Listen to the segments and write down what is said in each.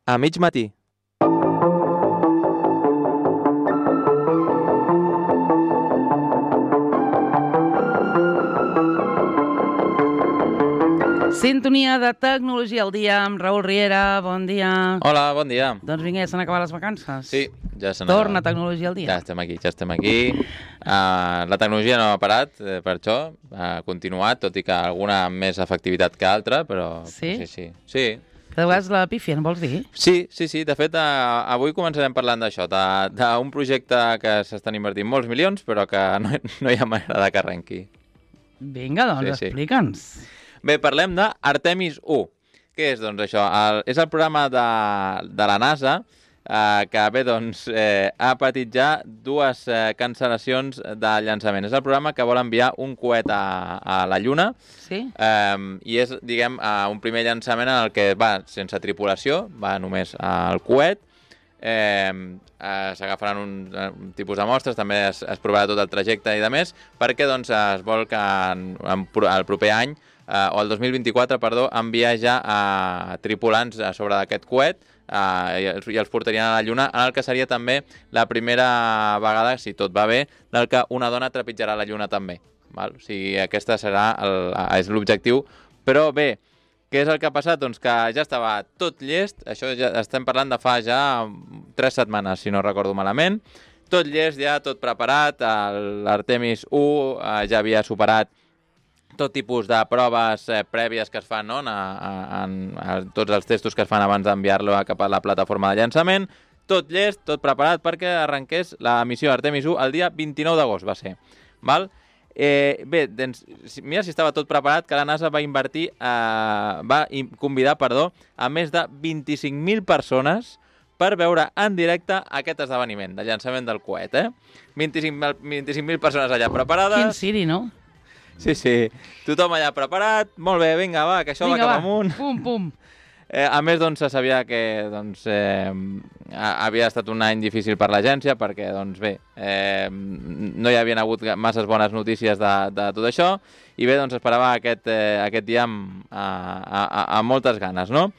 a mig matí. Sintonia de Tecnologia al dia amb Raül Riera. Bon dia. Hola, bon dia. Doncs vinga, ja s'han acabat les vacances. Sí, ja s'han Torna acabat. Tecnologia al dia. Ja estem aquí. La tecnologia no ha parat, per això. Ha continuat, tot i que alguna amb més efectivitat que altra, però... Sí? Sí. Cada vegada la pifien, vols dir? Sí. De fet, avui començarem parlant d'això, d'un projecte que s'estan invertint molts milions, però que no hi ha manera de que arrenqui. Vinga, doncs, Sí. explica'ns. Bé, parlem d'Artemis 1. Què és, doncs, això? És el programa de la NASA que, bé, doncs, ha patit ja dues cancel·lacions de llançament. És el programa que vol enviar un coet a la Lluna. Sí? I és, diguem, un primer llançament en el que va sense tripulació, va només el coet. S'agafaran un tipus de mostres, també es provarà tot el trajecte i de més, perquè doncs, es vol que el proper any, o el 2024, perdó, enviar ja tripulants a sobre d'aquest coet i els portarien a la Lluna, en el que seria també la primera vegada, si tot va bé, del que una dona trepitjarà la Lluna també. Val? O sigui, aquesta és l'objectiu. Però bé, què és el que ha passat? Doncs que ja estava tot llest, això ja estem parlant de fa ja 3 setmanes, si no recordo malament, tot llest ja, tot preparat, l'Artemis 1 ja havia superat tot tipus de proves prèvies que es fan, no? Tots els testos que es fan abans d'enviar-lo cap a la plataforma de llançament, tot llest, tot preparat perquè arrenqués la missió Artemis 1 el dia 29 d'agost, va ser. Val? Bé, doncs, mira si estava tot preparat, que la NASA va convidar a més de 25.000 persones per veure en directe aquest esdeveniment de llançament del coet, 25.000 persones allà preparades. Quin Siri, no? Sí. Tothom allà preparat. Molt bé, vinga, va, que això va cap amunt. Pum. A més, doncs, se sabia que havia estat un any difícil per l'agència perquè, doncs, bé, no hi havien hagut masses bones notícies de tot això i bé, doncs, esperava aquest dia amb moltes ganes, no?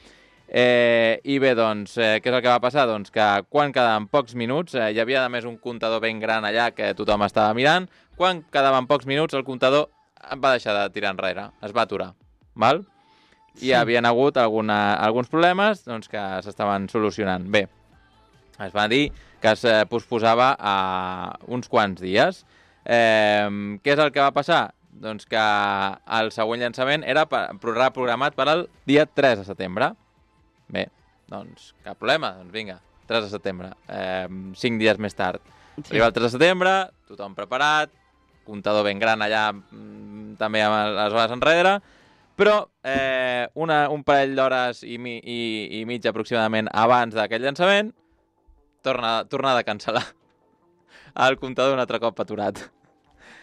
I bé, doncs, què és el que va passar? Doncs que quan quedaven pocs minuts, hi havia a més un comptador ben gran allà que tothom estava mirant, quan quedaven pocs minuts el comptador va deixar de tirar enrere, es va aturar, val? I hi havien hagut alguns problemes doncs, que s'estaven solucionant. Bé, es va dir que es posposava uns quants dies. Què és el que va passar? Doncs que el següent llançament era programat per al dia 3 de setembre. Bé, doncs cap problema, doncs vinga, 3 de setembre, 5 dies més tard. Sí. Arriba el 3 de setembre, tothom preparat, comptador ben gran allà també amb les hores enrere, però un parell d'hores i mitja aproximadament abans d'aquest llançament, torna de cancel·lar. El comptador un altre cop aturat.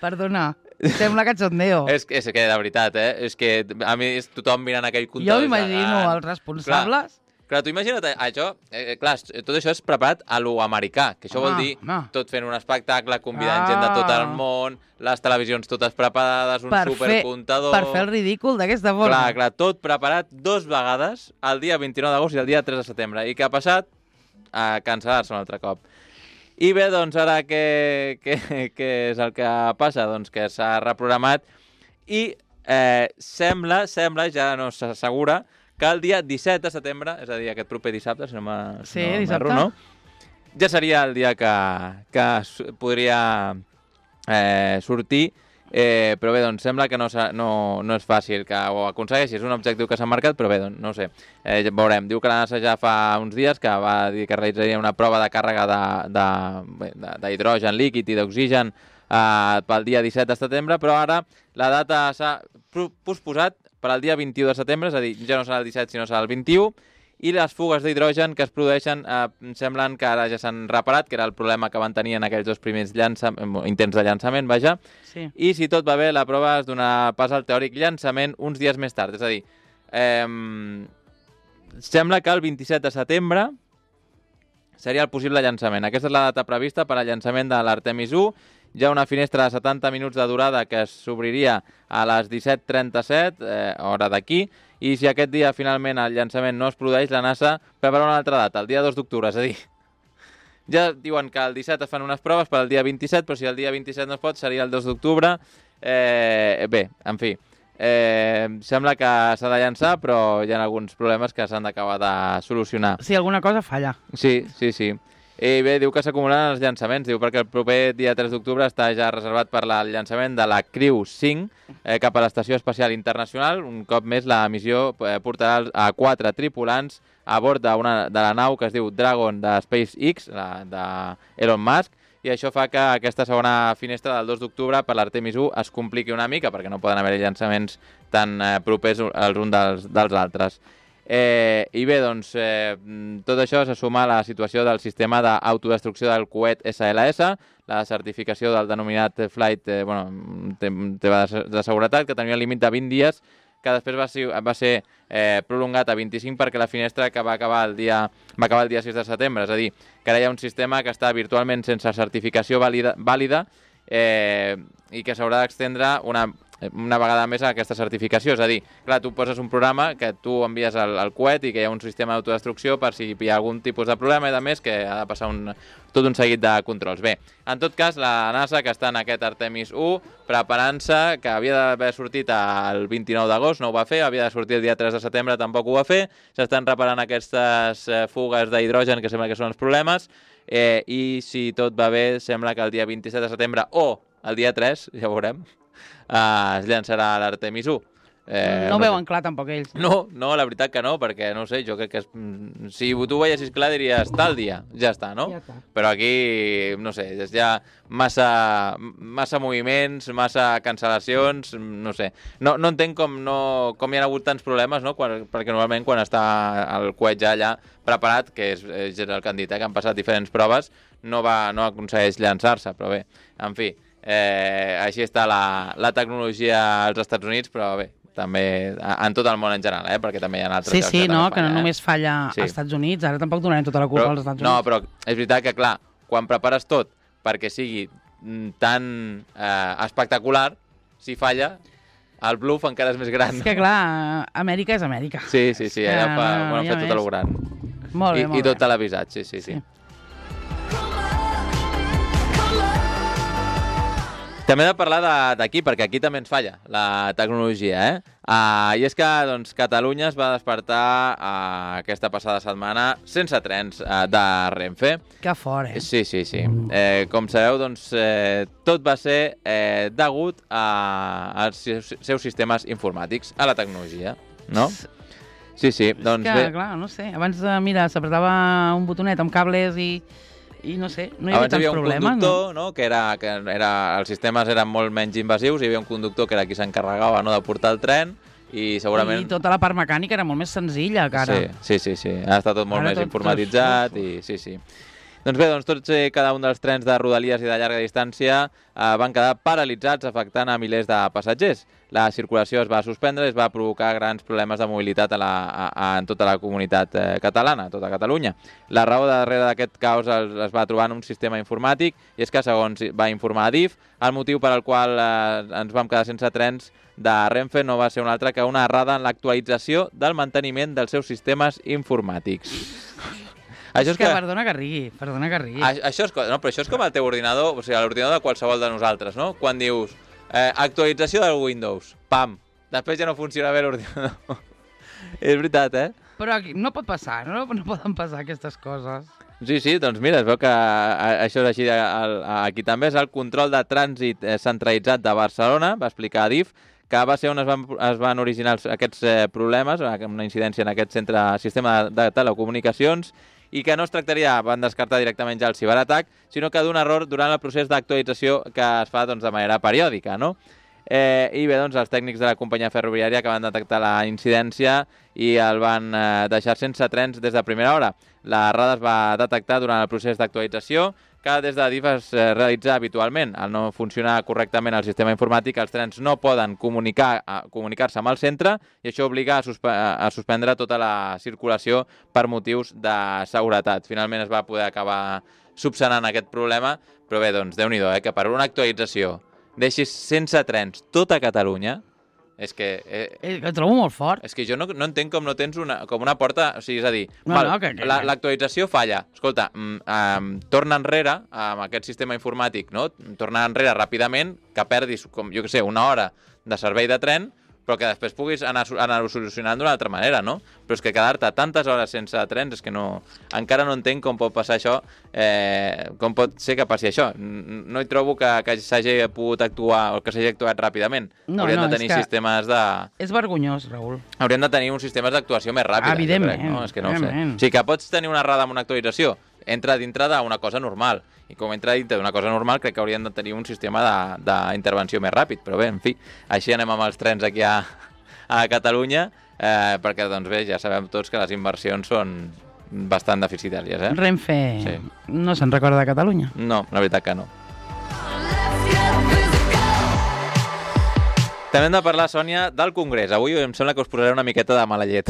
Perdona, sembla cachondeo. És que de veritat, és que a mi és tothom mirant aquell comptador. Jo m'imagino els responsables... Clar, tu imagina't això, clar, tot això és preparat a lo americà, que això vol dir tot fent un espectacle, convidant gent de tot el món, les televisions totes preparades, un supercomptador... Per fer el ridícul d'aquesta forma. Clar, tot preparat 2 vegades, el dia 29 d'agost i el dia 3 de setembre. I què ha passat? Cancel·lar-se un altre cop. I bé, doncs ara què és el que passa? Doncs que s'ha reprogramat i sembla, ja no s'assegura, que el dia 17 de setembre, és a dir, aquest proper dissabte, si no m'erro, no? Ja seria el dia que podria sortir, però bé, doncs sembla que no és fàcil que ho aconsegueixi, és un objectiu que s'ha marcat, però bé, doncs no ho sé, veurem. Diu que la NASA ja fa uns dies que va dir que realitzaria una prova de càrrega d'hidrogen líquid i d'oxigen pel dia 17 de setembre, però ara la data s'ha posposat per al dia 21 de setembre, és a dir, ja no serà el 17 sinó serà el 21, i les fugues d'hidrogen que es produeixen semblen que ara ja s'han reparat, que era el problema que van tenir en aquells 2 primers intents de llançament, vaja, sí. I si tot va bé, la prova es donarà pas al teòric llançament uns dies més tard, és a dir, sembla que el 27 de setembre seria el possible llançament. Aquesta és la data prevista per al llançament de l'Artemis 1, hi ha una finestra de 70 minuts de durada que s'obriria a les 17:37, hora d'aquí, i si aquest dia finalment el llançament no es produeix, la NASA prepara una altra data, el dia 2 d'octubre, és a dir, ja diuen que el 17 es fan unes proves per al dia 27, però si el dia 27 no es pot, seria el 2 d'octubre. Bé, en fi, sembla que s'ha de llançar, però hi ha alguns problemes que s'han d'acabar de solucionar. Si alguna cosa falla. Sí. I bé, diu que s'acumulen els llançaments, diu perquè el proper dia 3 d'octubre està ja reservat per al llançament de la Crew 5 cap a l'Estació Espacial Internacional. Un cop més, la missió portarà a 4 tripulants a bord de la nau que es diu Dragon de SpaceX, de Elon Musk, i això fa que aquesta segona finestra del 2 d'octubre per l'Artemis 1 es compliqui una mica, perquè no poden haver llançaments tan propers els uns dels altres. I bé, doncs, tot això se suma a la situació del sistema d'autodestrucció del coet SLS, la certificació del denominat Flight de seguretat, que tenia un límit de 20 dies, que després va ser prolongat a 25 perquè la finestra que va acabar el dia 6 de setembre. És a dir, que ara hi ha un sistema que està virtualment sense certificació vàlida i que s'haurà d'extendre una vegada més a aquesta certificació. És a dir, clar, tu poses un programa que tu envies al coet i que hi ha un sistema d'autodestrucció per si hi ha algun tipus de problema i de més, que ha de passar tot un seguit de controls. Bé, en tot cas, la NASA, que està en aquest Artemis 1, preparant-se, que havia d'haver sortit el 29 d'agost, no ho va fer, havia de sortir el dia 3 de setembre, tampoc ho va fer, s'estan reparant aquestes fugues d'hidrogen que sembla que són els problemes, i si tot va bé, sembla que el dia 27 de setembre o el dia 3, ja ho veurem, es llançarà l'Artemis 1. No veuen clar tampoc ells. No, la veritat que no, perquè no sé, jo crec que si tu ho veiessis clar diries tal dia, ja està, no? Ja està. Però aquí, no sé, és ja massa moviments, massa cancel·lacions, no sé. No entenc com hi ha hagut tants problemes, no? Perquè normalment quan està el coet ja allà preparat, que és el que han dit, que han passat diferents proves, no aconsegueix llançar-se, però bé, en fi, així està la tecnologia als Estats Units, però bé, també en tot el món en general, perquè també hi ha altres llocs que també falla, que no només falla als Estats Units, ara tampoc donarem tota la culpa als Estats Units. No, però és veritat que, clar, quan prepares tot perquè sigui tan espectacular, si falla, el bluff encara és més gran. És que, clar, Amèrica és Amèrica. Sí, allà han fet tot el gran. Molt bé, molt bé. I tot televisat, sí. També he de parlar d'aquí, perquè aquí també ens falla la tecnologia, I és que doncs, Catalunya es va despertar aquesta passada setmana sense trens de Renfe. Que fort, Sí. Com sabeu, doncs, tot va ser degut als seus sistemes informàtics, a la tecnologia, no? Sí, doncs bé. Clar, no sé, abans, mira, s'apretava un botonet amb cables i no sé, no hi havia tants problemes. Abans hi havia un conductor, que els sistemes eren molt menys invasius, hi havia un conductor que era qui s'encarregava de portar el tren i segurament... I tota la part mecànica era molt més senzilla que ara. Sí. Ha estat tot molt més informatitzat i sí. Doncs bé, tots cada un dels trens de Rodalies i de llarga distància van quedar paralitzats, afectant a milers de passatgers. La circulació es va suspendre i es va provocar grans problemes de mobilitat en tota la comunitat catalana, tota Catalunya. La raó darrere d'aquest caos es va trobar en un sistema informàtic i és que, segons va informar Adif, el motiu per al qual ens vam quedar sense trens de Renfe no va ser un altre que una errada en l'actualització del manteniment dels seus sistemes informàtics. Perdona que rigui. Això és com el teu ordinador, o sigui, l'ordinador de qualsevol de nosaltres, no? Quan dius actualització del Windows, pam, després ja no funciona bé l'ordinador. És veritat, Però aquí no pot passar, no poden passar aquestes coses. Sí, doncs mira, es veu que això és així aquí també. És el control de trànsit centralitzat de Barcelona, va explicar Adif, que va ser on es van originar aquests problemes, una incidència en aquest sistema de telecomunicacions, i que no es tractaria, van descartar directament ja el ciberatac, sinó que d'un error durant el procés d'actualització que es fa de manera periòdica, no? I bé, els tècnics de la companyia ferroviària que van detectar la incidència i el van deixar sense trens des de primera hora. L'errada es va detectar durant el procés d'actualització, que des d'Adif es realitza habitualment. Al no funcionar correctament el sistema informàtic, els trens no poden comunicar-se amb el centre i això obliga a suspendre tota la circulació per motius de seguretat. Finalment es va poder acabar subsanant aquest problema, però bé, doncs, Déu-n'hi-do, que per una actualització deixis sense trens tota Catalunya, És que... Ho trobo molt fort. És que jo no entenc com no tens com una porta... O sigui, és a dir, l'actualització falla. Escolta, torna enrere amb aquest sistema informàtic, no? Torna enrere ràpidament, que perdis, com jo què sé, una hora de servei de tren, però que després puguis anar-ho solucionant d'una altra manera, no? Però és que quedar-te tantes hores sense trens és que no... Encara no entenc com pot passar això, com pot ser que passi això. No hi trobo que s'hagi pogut actuar o que s'hagi actuat ràpidament. Haurien de tenir sistemes de... És vergonyós, Raül. Haurien de tenir uns sistemes d'actuació més ràpida. Evidentment. No? És que no ho sé. O sigui, que pots tenir una errada amb una actualització, entra dintre d'una cosa normal. I com entra dintre d'una cosa normal, crec que haurien de tenir un sistema d'intervenció més ràpid. Però bé, en fi, així anem amb els trens aquí a Catalunya, perquè, doncs bé, ja sabem tots que les inversions són bastant deficitàries. Renfe no se'n recorda de Catalunya? No, la veritat que no. També hem de parlar, Sònia, del Congrés. Avui em sembla que us posaré una miqueta de mala llet.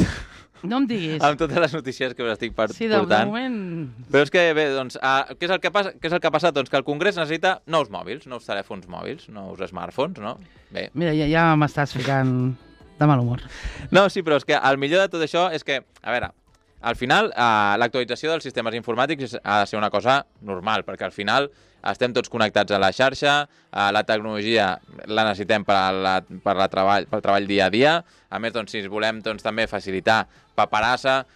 No em diguis. Amb totes les notícies que us estic portant. Sí, de moment... Però és que, bé, doncs, què és el que ha passat? Doncs que el Congrés necessita nous mòbils, nous telèfons mòbils, nous smartphones, no? Bé. Mira, ja m'estàs ficant de mal humor. No, sí, però és que el millor de tot això és que, a veure, al final, l'actualització dels sistemes informàtics ha de ser una cosa normal, perquè al final estem tots connectats a la xarxa, la tecnologia la necessitem pel treball dia a dia. A més, doncs, si volem també facilitar paperassa,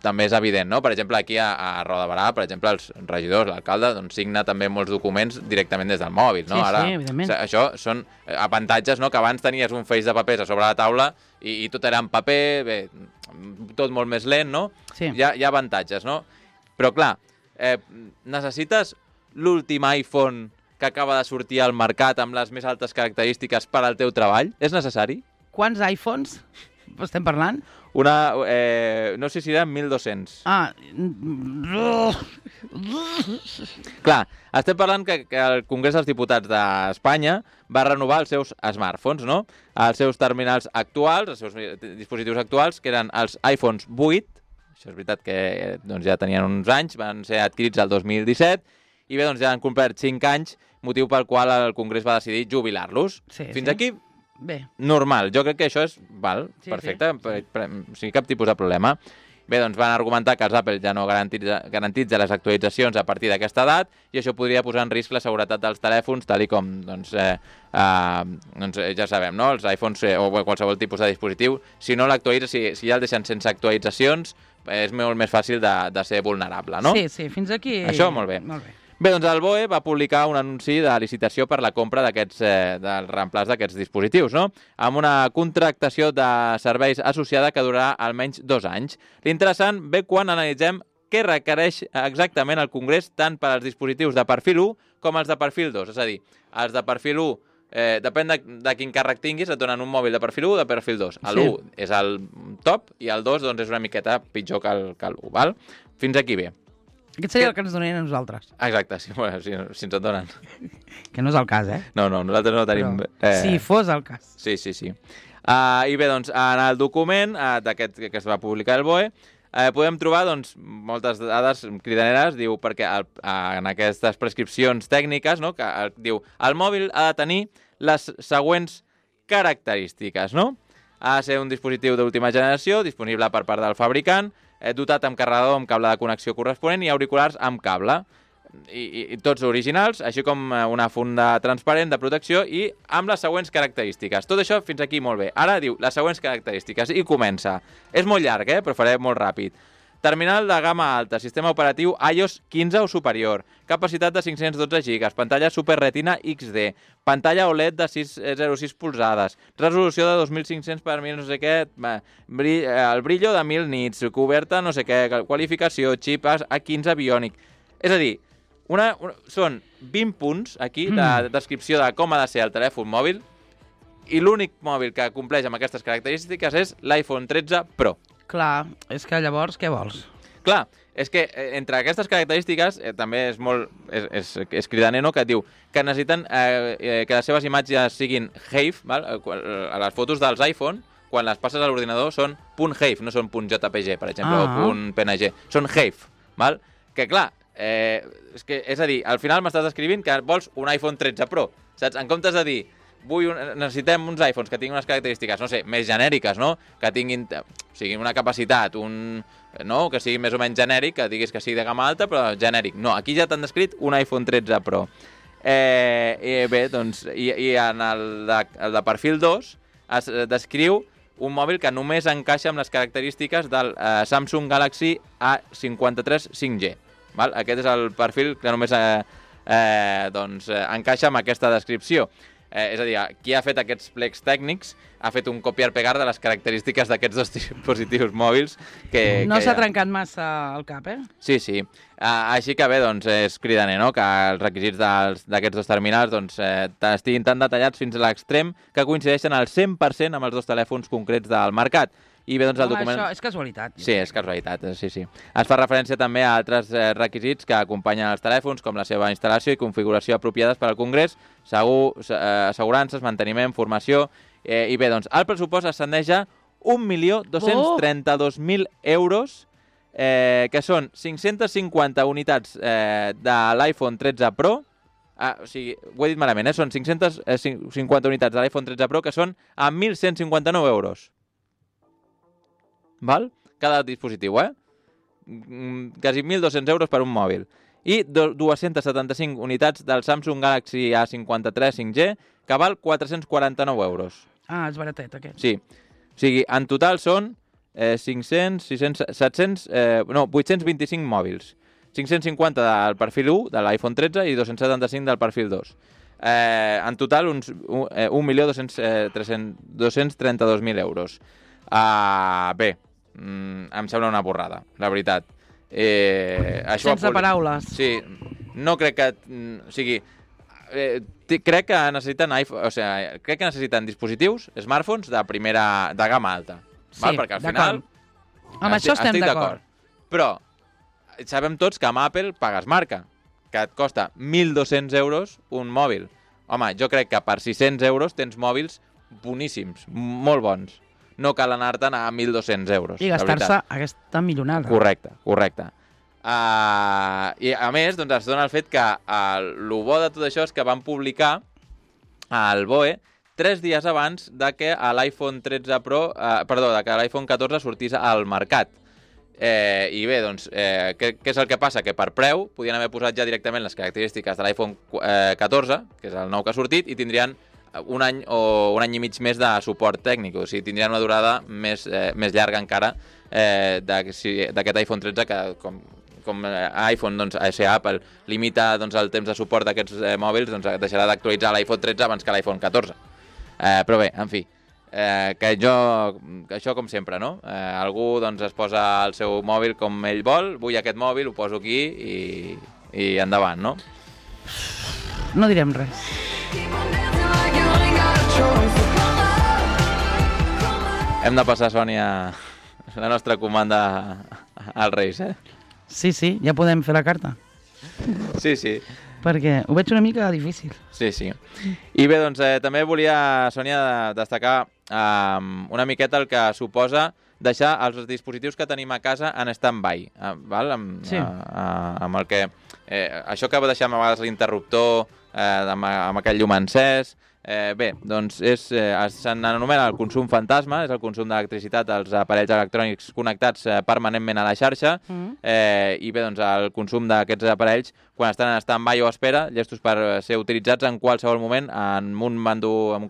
també és evident, no? Per exemple, aquí a Roda de Barà, per exemple, els regidors, l'alcalde, doncs, signa també molts documents directament des del mòbil, no? Sí, evidentment. Això són avantatges, no? Que abans tenies un feix de papers a sobre la taula i tot era en paper, bé, tot molt més lent, no? Sí. Hi ha avantatges, no? Però, clar, necessites l'últim iPhone que acaba de sortir al mercat amb les més altes característiques per al teu treball? És necessari? Quants iPhones estem parlant? No sé si eren 1.200. Clar, estem parlant que el Congrés dels Diputats d'Espanya va renovar els seus smartphones, no? Els seus terminals actuals, els seus dispositius actuals, que eren els iPhones 8, això és veritat que doncs, ja tenien uns anys, van ser adquirits el 2017, i bé, doncs ja han complert 5 anys, motiu pel qual el Congrés va decidir jubilar-los. Fins aquí, bé, normal. Jo crec que això és perfecte, sí, cap tipus de problema. Bé, doncs van argumentar que els Apple ja no garantitza les actualitzacions a partir d'aquesta edat i això podria posar en risc la seguretat dels telèfons, tal i com ja sabem, no? Els iPhones o qualsevol tipus de dispositiu, si no l'actualitza, si ja el deixen sense actualitzacions, és molt més fàcil de ser vulnerable, no? Sí, fins aquí... Això molt bé. Bé, doncs el BOE va publicar un anunci de licitació per la compra del reemplaç d'aquests dispositius, no? Amb una contractació de serveis associada que durarà almenys 2 anys. L'interessant ve quan analitzem què requereix exactament el Congrés tant per als dispositius de perfil 1 com els de perfil 2. És a dir, els de perfil 1, depèn de quin càrrec tinguis, et donen un mòbil de perfil 1 o de perfil 2. L'1 és el top i el 2 doncs, és una miqueta pitjor que l'1, val? Fins aquí bé. Aquest seria el que ens donarien a nosaltres. Exacte, si ens en donen. Que no és el cas, No, nosaltres no tenim... Si fos el cas. Sí. I bé, doncs, en el document d'aquest que es va publicar el BOE, podem trobar doncs, moltes dades cridaneres, diu, perquè en aquestes prescripcions tècniques, no, que diu, el mòbil ha de tenir les següents característiques, no? Ha de ser un dispositiu d'última generació, disponible per part del fabricant, dotat amb carregador amb cable de connexió corresponent i auriculars amb cable. I tots originals, així com una funda transparent de protecció i amb les següents característiques. Tot això fins aquí molt bé. Ara diu les següents característiques i comença. És molt llarg, però faré molt ràpid. Terminal de gamma alta, sistema operatiu iOS 15 o superior, capacitat de 512 GB, pantalla Super Retina XD, pantalla OLED de 6,06 polzades, resolució de 2500 per 1000 no sé què, el brillo de 1000 nits, coberta no sé què, qualificació, xip A15 Bionic. És a dir, són 20 punts aquí de descripció de com ha de ser el telèfon mòbil i l'únic mòbil que compleix amb aquestes característiques és l'iPhone 13 Pro. Clar, és que llavors què vols? Clar, és que entre aquestes característiques també és molt... és cridaner, no?, que et diu que necessiten que les seves imatges siguin HEIF, val? A les fotos dels iPhone, quan les passes a l'ordinador són .HEIF, no són .jpg, per exemple, o .png, són HEIF, val? Que clar, és a dir, al final m'estàs descrivint que vols un iPhone 13 Pro, saps? En comptes de dir necessitem uns iPhones que tinguin unes característiques, no sé, més genèriques, no? Que tinguin una capacitat, no? Que sigui més o menys genèric, que diguis que sigui de gamma alta, però genèric. No, aquí ja t'han descrit un iPhone 13 Pro. Bé, doncs, i en el de perfil 2 es descriu un mòbil que només encaixa amb les característiques del Samsung Galaxy A53 5G. Val? Aquest és el perfil que només encaixa amb aquesta descripció. És a dir, qui ha fet aquests plecs tècnics ha fet un copiar-pegar de les característiques d'aquests dos dispositius mòbils. No s'ha trencat massa el cap, Sí. Així que bé, doncs és cridaner, no?, que els requisits d'aquests dos terminals estiguin tan detallats fins a l'extrem que coincideixen al 100% amb els dos telèfons concrets del mercat. I bé, doncs el document... Això és casualitat. Sí, és casualitat, sí. Es fa referència també a altres requisits que acompanyen els telèfons, com la seva instal·lació i configuració apropiades per al Congrés, assegurances, manteniment, formació... I bé, doncs el pressupost ascendeix a 1.232.000 euros, que són 550 unitats de l'iPhone 13 Pro, o sigui, ho he dit malament, són 550 unitats de l'iPhone 13 Pro, que són a 1.159 euros. Val? Cada dispositiu, quasi 1.200 euros per un mòbil. I 275 unitats del Samsung Galaxy A53 5G, que val 449 euros. Ah, és baratet, aquest. Sí. O sigui, en total són 825 mòbils. 550 del perfil 1 de l'iPhone 13 i 275 del perfil 2. En total, uns 1.232.000 euros. Bé, em sembla una borrada, la veritat. Sense paraules. Sí, no crec que... O sigui, crec que necessiten crec que necessiten dispositius, smartphones de gamma alta. Sí, val? Perquè al final... Amb això estem d'acord. Però sabem tots que amb Apple pagues marca, que et costa 1.200 euros un mòbil. Home, jo crec que per 600 euros tens mòbils boníssims, molt bons. No cal anar-te'n a 1.200 euros. I gastar-se aquesta milionada. Correcte. I a més, doncs, es dona el fet que el bo de tot això és que van publicar al BOE 3 dies abans de que l'iPhone 13 Pro, de que l'iPhone 14 sortís al mercat. I bé, doncs, què és el que passa? Que per preu podien haver posat ja directament les característiques de l'iPhone 14, que és el nou que ha sortit, i tindrien un any o un any i mig més de suport tècnic, o sigui, tindrien una durada més llarga encara d'aquest iPhone 13, que com iPhone, doncs, Apple limita el temps de suport d'aquests mòbils, doncs deixarà d'actualitzar l'iPhone 13 abans que l'iPhone 14. Però bé, en fi, que això com sempre, no? Algú doncs, es posa el seu mòbil com ell vol, vull aquest mòbil, ho poso aquí i endavant, no? No direm res. Hem de passar, Sònia, la nostra comanda als Reis, Sí, ja podem fer la carta. Sí. Perquè ho veig una mica difícil. Sí. I bé, doncs, també volia, Sònia, destacar una miqueta el que suposa deixar els dispositius que tenim a casa en stand-by, val? Amb el que... això que deixem a vegades l'interruptor amb aquell llum encès... Bé, doncs s'anomena el consum fantasma, és el consum d'electricitat dels aparells electrònics connectats permanentment a la xarxa, i bé, doncs el consum d'aquests aparells quan estan en stand-by o espera, llestos per ser utilitzats en qualsevol moment amb un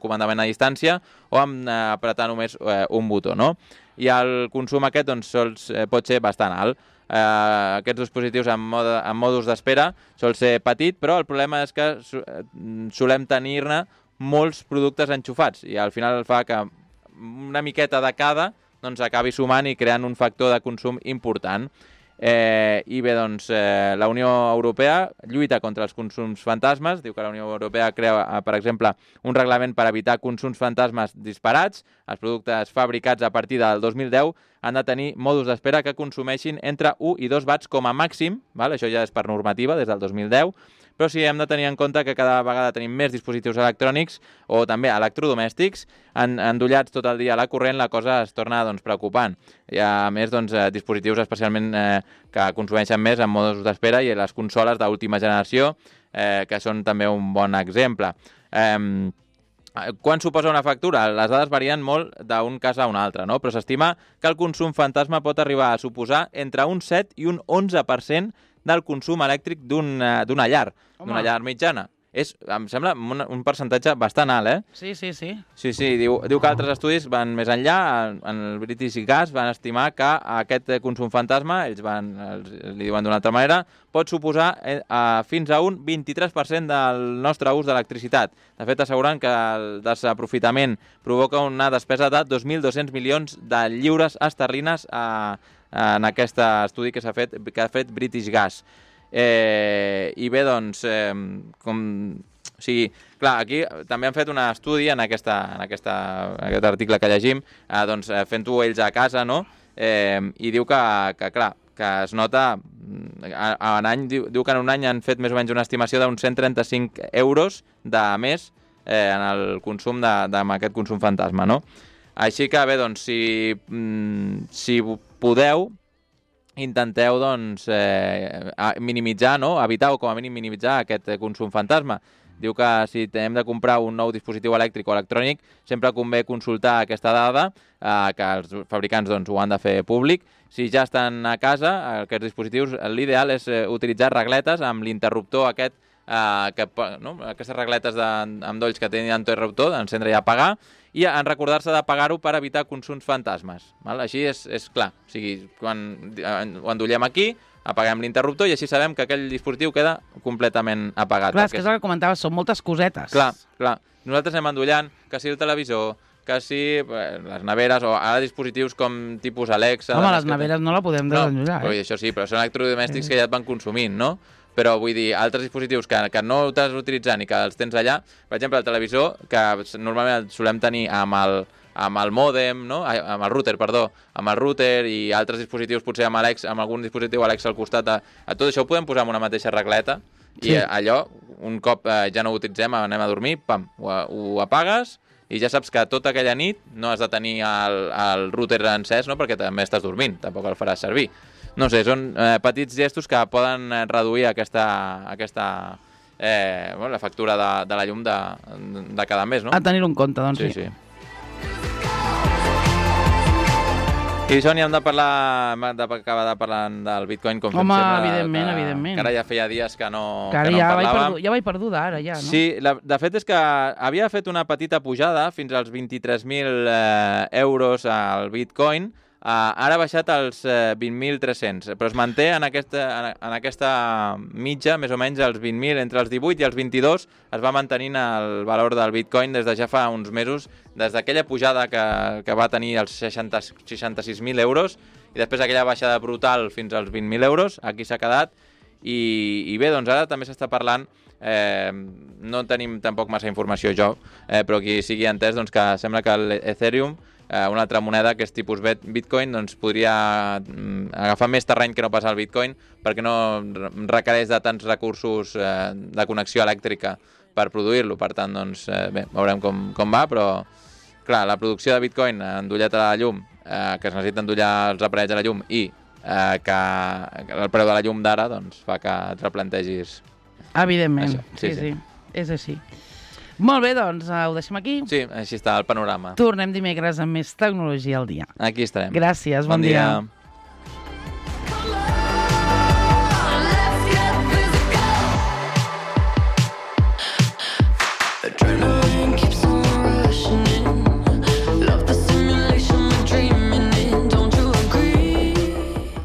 comandament a distància o amb apretar només un botó, no? I el consum aquest doncs, pot ser bastant alt. Aquests dispositius en modus d'espera sol ser petit, però el problema és que solem tenir-ne molts productes enxufats i al final fa que una miqueta de cada doncs, acabi sumant i creant un factor de consum important. I bé, doncs, la Unió Europea lluita contra els consums fantasmes, diu que la Unió Europea crea, per exemple, un reglament per evitar consums fantasmes disparats. Els productes fabricats a partir del 2010 han de tenir mòduls d'espera que consumeixin entre 1 i 2 watts com a màxim, val? Això ja és per normativa des del 2010, però sí hem de tenir en compte que cada vegada tenim més dispositius electrònics o també electrodomèstics endollats tot el dia a la corrent, la cosa es torna doncs, preocupant. I a més, doncs, dispositius especialment que consumeixen més en modus d'espera i les consoles d'última generació, que són també un bon exemple. Quan suposa una factura? Les dades varien molt d'un cas a un altre, no? Però s'estima que el consum fantasma pot arribar a suposar entre un 7 i un 11% del consum elèctric d'una llar, d'una llar mitjana. Em sembla un percentatge bastant alt, eh? Sí. Sí, diu que altres estudis van més enllà. En el British Gas van estimar que aquest consum fantasma, ells li diuen d'una altra manera, pot suposar fins a un 23% del nostre ús d'electricitat. De fet, asseguren que el desaprofitament provoca una despesa de 2.200 milions de lliures esterlines en aquest estudi que ha fet British Gas. I bé, doncs, clar, aquí també han fet un estudi en aquest article que llegim, doncs, fent-ho ells a casa, no? I diu que clar, que es nota, diu que en un any han fet més o menys una estimació d'uns 135 euros de més en el consum d'aquest consum fantasma, no? Així que bé, doncs, si podeu, intenteu doncs, minimitzar, no? Evitar o com a mínim minimitzar aquest consum fantasma. Diu que si hem de comprar un nou dispositiu elèctric o electrònic, sempre convé consultar aquesta dada, que els fabricants doncs, ho han de fer públic. Si ja estan a casa, aquests dispositius, l'ideal és utilitzar regletes amb l'interruptor aquest, no? Aquestes regletes amb dolls que tenen interruptor, d'encendre i apagar, i en recordar-se d'apagar-ho per evitar consums fantasmes. Val? Així és clar. O sigui, quan ho endollem aquí, apaguem l'interruptor i així sabem que aquell dispositiu queda completament apagat. Clar, és que és el que comentaves, són moltes cosetes. Clar. Nosaltres anem endollant, que si el televisor, que si les neveres, o ara dispositius com tipus Alexa... Home, les neveres no la podem desendollar. No, això sí, però són electrodomèstics que ja et van consumint, no? Però vull dir, altres dispositius que no estàs utilitzant i que els tens allà, per exemple, el televisor, que normalment el solem tenir amb el mòdem, no? Amb el router, perdó, amb el router i altres dispositius, potser amb algun dispositiu Alexa al costat, a tot això ho podem posar en una mateixa regleta i allò, un cop ja no ho utilitzem, anem a dormir, pam, ho apagues i ja saps que tota aquella nit no has de tenir el router encès, no? Perquè també estàs dormint, tampoc el faràs servir. No sé, són petits gestos que poden reduir la factura de la llum de cada mes, no? A tenir-ho en compte, doncs sí. I Sònia, hem d'acabar parlant del Bitcoin, com fem sempre. Home, evidentment. Que ara ja feia dies que no parlàvem. Ja vaig perduda, ara, ja, no? Sí, de fet és que havia fet una petita pujada fins als 23.000 euros al Bitcoin. Ara ha baixat als 20.300, però es manté en aquesta mitja, més o menys als 20.000, entre els 18 i els 22 es va mantenint el valor del Bitcoin des de ja fa uns mesos, des d'aquella pujada que va tenir els 66.000 euros i després aquella baixada brutal fins als 20.000 euros, aquí s'ha quedat i bé, doncs ara també s'està parlant, no tenim tampoc massa informació jo, però qui sigui entès doncs que sembla que l'Ethereum, una altra moneda que és tipus Bitcoin, doncs podria agafar més terreny que no pas el Bitcoin perquè no requereix de tants recursos de connexió elèctrica per produir-lo. Per tant, doncs, bé, veurem com va, però clar, la producció de Bitcoin endollat a la llum, que es necessita endollar els aparells a la llum i que el preu de la llum d'ara doncs, fa que et replantegis. Evidentment, sí. És així. Molt bé, doncs ho deixem aquí. Sí, així està el panorama. Tornem dimecres amb més tecnologia al dia. Aquí estarem. Gràcies, bon dia.